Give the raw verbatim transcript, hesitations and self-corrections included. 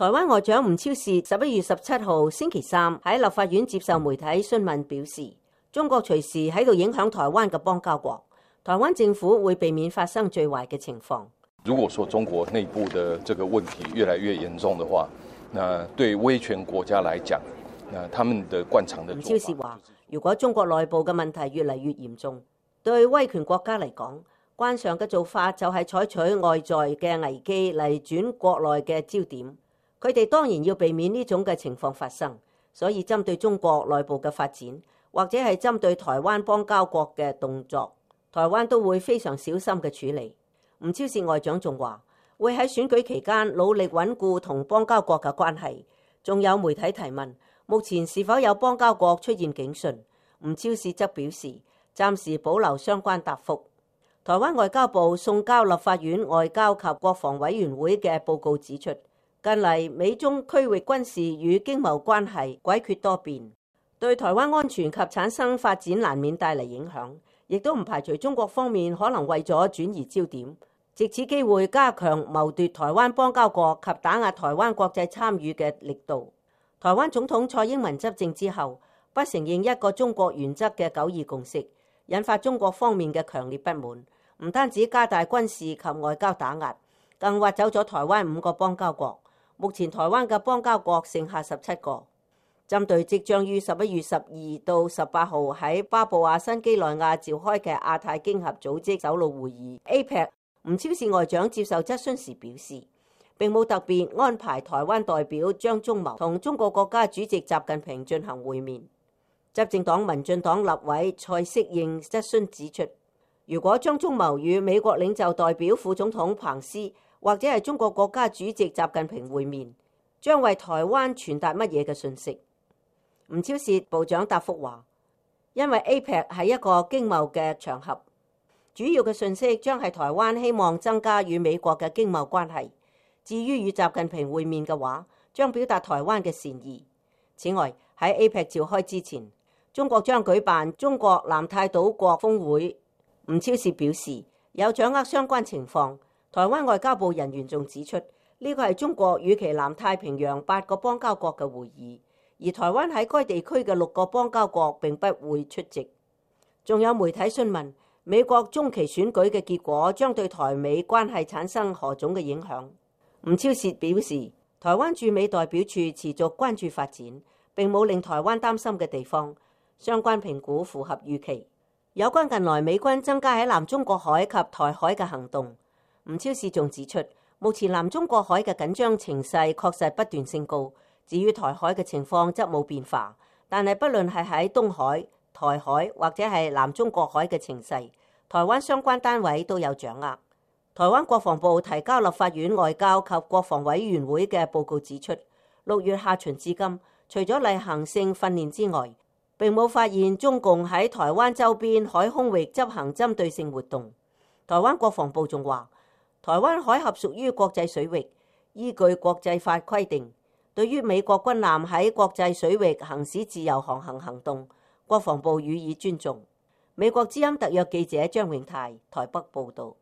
台灣外長吳釗燮十一月十七號星期三喺立法院接受媒體詢問表示，中國隨時喺度影響台灣嘅邦交國，台灣政府會避免發生最壞嘅情況。如果說中國內部的這個問題越來越嚴重的話，那對威權國家來講，那他們的慣常的。吳釗燮話，如果中國內部嘅問題越嚟越嚴重，對威權國家嚟講，慣常嘅做法就係採取外在嘅危機嚟轉國內嘅焦點。佢哋當然要避免呢種嘅情況發生，所以針對中國內部嘅發展，或者係針對台灣邦交國嘅動作，台灣都會非常小心嘅處理。吳釗燮外長仲話，會喺選舉期間努力穩固同邦交國嘅關係。仲有媒體提問，目前是否有邦交國出現警訊？吳釗燮則表示，暫時保留相關答覆。台灣外交部送交立法院外交及國防委員會嘅報告指出，近嚟美中區域軍事與經貿關係詭譎多變，對台灣安全及產生發展難免帶嚟影響，亦都唔排除中國方面可能為咗轉移焦點，藉此機會加強謀奪台灣邦交國及打壓台灣國際參與嘅力度。台灣總統蔡英文執政之後，不承認一個中國原則嘅九二共識，引發中國方面嘅強烈不滿，唔單止加大軍事及外交打壓，更挖走咗台灣五個邦交國。目前台灣嘅邦交國剩下十七個。針對即將於十一月十二到十八號喺巴布亞新幾內亞召開嘅亞太經合組織首腦會議 A P E C， 吳釗燮外長接受質詢時表示，並冇特別安排台灣代表張忠謀同中國國家主席習近平進行會面。執政黨民進黨立委蔡適應質詢指出，如果張忠謀與美國領袖代表副總統彭斯或者係中國國家主席習近平會面，將為台灣傳達乜嘢嘅訊息？吳釗燮部長答覆話，因為 A P E C 係一個經貿嘅場合，主要嘅訊息將係台灣希望增加與美國嘅經貿關係。至於與習近平會面嘅話，將表達台灣嘅善意。此外，喺 A P E C 召開之前，中國將舉辦中國南太島國峰會。吳釗燮表示，有掌握相關情況。台灣外交部人員仲指出，呢個係中國與其南太平洋八個邦交國嘅會議，而台灣喺該地區嘅六個邦交國並不會出席。仲有媒體詢問，美國中期選舉嘅結果將對台美關係產生何種嘅影響？吳釗燮表示，台灣駐美代表處持續關注發展，並冇令台灣擔心嘅地方，相關評估符合預期。有關近來美軍增加喺南中國海及台海嘅行動，吳釗燮仲指出，目前南中國海嘅緊張情勢確實不斷升高，至於台海嘅情況則冇變化。但係不論係喺東海、台海或者係南中國海嘅情勢，台灣相關單位都有掌握。台灣國防部提交立法院外交及國防委員會嘅報告指出，六月下旬至今，除咗例行性訓練之外，並冇發現中共喺台灣周邊海空域執行針對性活動。台灣國防部仲話，台灣海峽屬於國際水域，依據國際法規定，對於美國軍艦喺國際水域行使自由航行行動，國防部予以尊重。美國之音特約記者張永泰台北報導。